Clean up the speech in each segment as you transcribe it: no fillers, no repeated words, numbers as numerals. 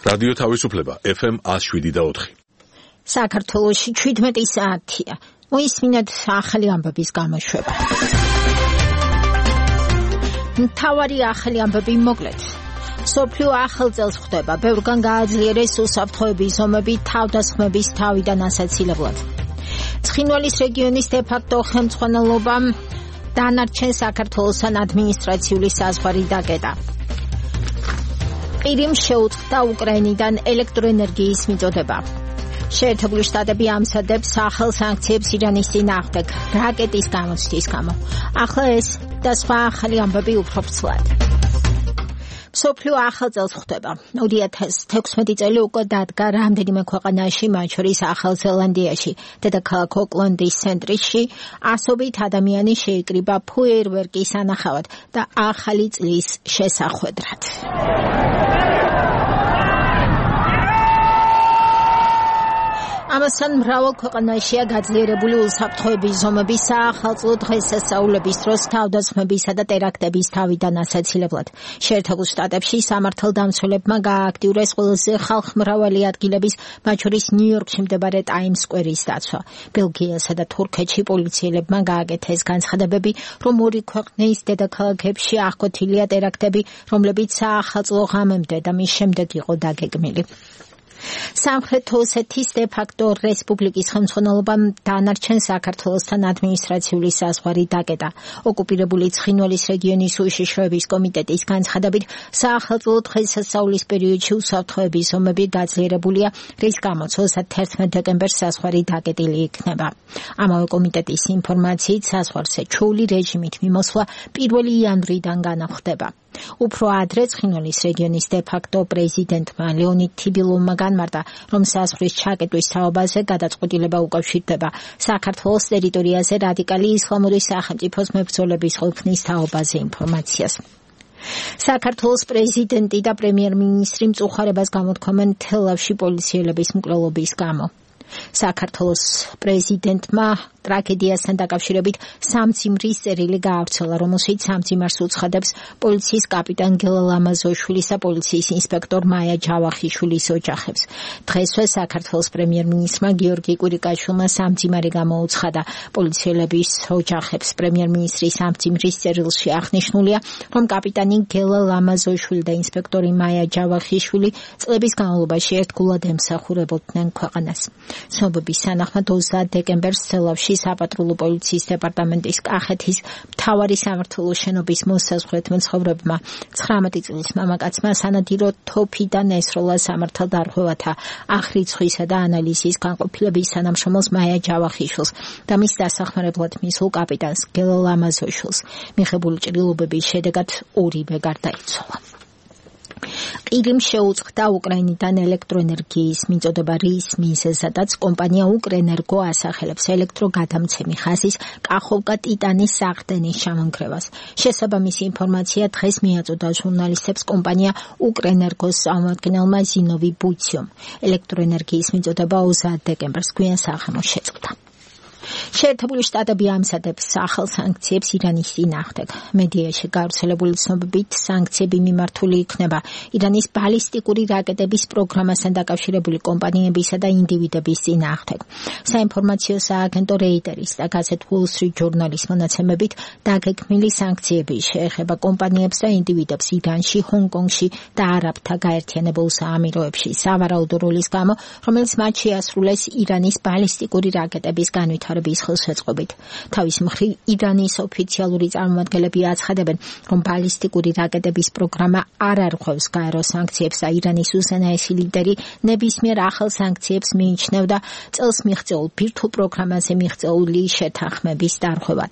რადიო თავისუფლება FM 107.4. საქართველოში 17 საათია. მოისმინეთ ახალი ამბების გამოშვება. მთავარი ახალი ამბები მოკლედ. სოფლიო ახალ წელს ხვდება, ბევრგან გააძლიერეს უსაფრთხოების ზომები თავდასხმების თავიდან ასაცილებლად. ცხინვალის რეგიონის დე-ფაქტო ხელმძღვანელობამ დანარჩენ საქართველოსთან ადმინისტრაციული საზღვარი დაკეტა. ყირიმ შეუწყდა უკრაინიდან ელექტროენერგიის მიწოდება. შეერთებული შტატები ამზადებს ახალ სანქციებს ირანის წინააღმდეგ რაკეტის გამოცდის გამო. ახლა ეს და სხვა ახალი ამბები უფრო ვრცლად. სოფლიო ახალ წელს ხვდება. 2016 წელი უკვე დადგა რამდენიმე ქვეყანაში, მათ შორის ახალ ზელანდიაში, დედაქალაქ ოკლენდის ცენტრში, ასობით ადამიანი შეიკრიბა ფოიერვერკის ანახავად და ახალი წლის შესახვედრად. ამასთან მრავალ ქვეყანაშია გაძლიერებული უსაფრთხოების ზომები საახალწლო დღესასწაულების დროს თავდასხმებისა და ტერაქტების თავიდან ასაცილებლად. შეერთებულ შტატებში სამართალდამცველებმა გაააქტიურეს ყველაზე ხალხმრავალი ადგილების, მათ შორის ნიუ-იორკში მდებარე ტაიმს სკვერის დაცვა. ბელგიასა და თურქეთში პოლიციელებმა გააკეთეს განცხადებები, რომ ორი ქვეყნის დედაქალაქებში აღკვეთილია ტერაქტები, რომლებიც საახალწლო ღამემდე და მის შემდეგ იყო დაგეგმილი. სამხრეთ ოსეთის დე-ფაქტო რესპუბლიკის ხელმძღვანელობამ დანარჩენ საქართველოსთან ადმინისტრაციული საზღვარი დაკეტა. ოკუპირებული ცხინვალის რეგიონის უშიშროების კომიტეტის განცხადებით, საახალწლო დღესასწაულის პერიოდში უსაფრთხოების ზომები გაძლიერებულია, რის გამოც 31 დეკემბერს საზღვარი დაკეტილი იქნება. ამავე კომიტეტის ინფორმაციით, საზღვარზე ჩვეული რეჟიმით მიმოსვლა 1 იანვრიდან განახდება. უფრო ადრე ცხინვალის რეგიონის დე-ფაქტო პრეზიდენტმა ლეონიდ თიბილოვმა განმარტა, რომ საზღვრის ჩაკეტვის თაობაზე გადაწყვეტილება უკავშირდება საქართველოს ტერიტორიაზე რადიკალი ისლამური სახელმწიფოს მებრძოლების ყოფნის თაობაზე ინფორმაციას. საქართველოს პრეზიდენტი და პრემიერ-მინისტრი მწუხარებას გამოთქვამენ თელავში პოლიციელების მკვლელობის გამო. საქართველოს პრეზიდენტმა ტრაგედიასთან დაკავშირებით სამძიმრის წერილი გაავრცელა, რომელშიც სამძიმარს უცხადებს პოლიციის კაპიტან გელა ლამაზოშვილის და პოლიციის ინსპექტორ მაია ჯავახიშვილის ოჯახებს. დღესვე საქართველოს პრემიერ-მინისტრმა გიორგი კვირიკაშვილმა სამძიმარი გამოუცხადა პოლიციელების ოჯახებს. პრემიერ-მინისტრის სამძიმრის წერილში აღნიშნულია, რომ კაპიტანი გელა ლამაზოშვილი და ინსპექტორი მაია ჯავახიშვილი წლების განმავლობაში ერთგულად ემსახურებოდნენ ქვეყანას. ცნობების თანახმად 20 დეკემბერს თელავში საპატრულო პოლიციის დეპარტამენტის კახეთის მთავარი სამმართველო შენობის მოსაზღვრეთ მცხოვრებმა 19 წლის მამაკაცმა სანადირო თოფიდან ესროლა სამართალდარღვევათა აღრიცხვისა და ანალიზის განყოფილების თანამშრომელს მაია ჯავახიშვილს და მის დასახმარებლად მისულ კაპიტანს გელა ლამაზოშვილს. მიღებული ჭრილობების შედეგად ორივე გარდაიცვალა. ყირიმ შეუწყდა უკრაინიდან ელექტროენერგიის მიწოდება, რის მიზეზადაც კომპანია უკრენერგო ასახელებს ელექტროგადამცემი ხაზის კახოვკა-ტიტანის საყრდენის ჩამონგრევას. შესაბამისი ინფორმაცია დღეს მიაწოდა ჟურნალისტებს კომპანია უკრენერგოს წარმომადგენელმა ზინოვი ბუციომ. ელექტროენერგიის მიწოდება 20 დეკემბერს გვიან საღამოს შეწყდა. შეერთებული შტატები ამზადებს ახალ სანქციებს ირანის წინააღმდეგ. მედიაში გავრცელებული ცნობებით სანქციები მიმართული იქნება ირანის ბალისტიკური რაკეტების პროგრამასთან დაკავშირებული კომპანიებისა და ინდივიდების წინააღმდეგ. საინფორმაციო სააგენტო რეიტერის და გაზეთ Wall Street Journal-ის მონაცემებით დაგეგმილი სანქციები შეეხება კომპანიებს და ინდივიდებს ირანში, ჰონგ-კონგში და არაბთა გაერთიანებულ საამიროებში სავარაუდო როლის გამო, რომელიც მათ შეასრულეს ირანის ბალისტიკური რაკეტების განვითარების ხელშეწყობით. თავის მხრივ ირანის ოფიციალური წარმომადგენლები აცხადებენ, რომ ბალისტიკური რაკეტების პროგრამა არ არღვევს გაერო სანქციებს და ირანის უზენაესი ლიდერი ნებისმიერ ახალ სანქციებს მიიჩნევდა წელს მიღწეულ ბირთვულ პროგრამაზე მიღწეული შეთანხმების დარღვევად.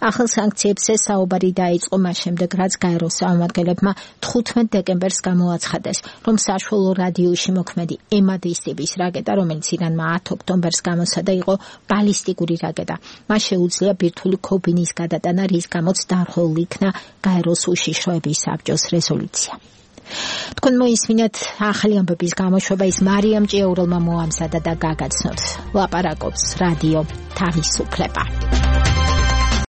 ახალ სანქციებზე საუბარი დაიწყო მას შემდეგ, რაც გაეროს წარმომადგენლებმა 15 დეკემბერს გამოაცხადეს, რომ საშუალო რადიუსში მოქმედი ემადის ტიპის რაკეტა, რომელიც ირანმა 10 ოქტომბერს გამოსცადა, იყო ბალისტიკური რაკეტა. მას შეუძლია ბირთვული ქობინის გადატანა, რის გამოც დარღვეულ იქნა გაეროს უშიშროების საბჭოს რეზოლუცია. თქვენ მოისმინეთ ახალი ამბების გამოშვება, ის მარიამ ჭიაურელმა მოამზადა და გაგაცნოთ. ლაპარაკობს რადიო თავისუფლება.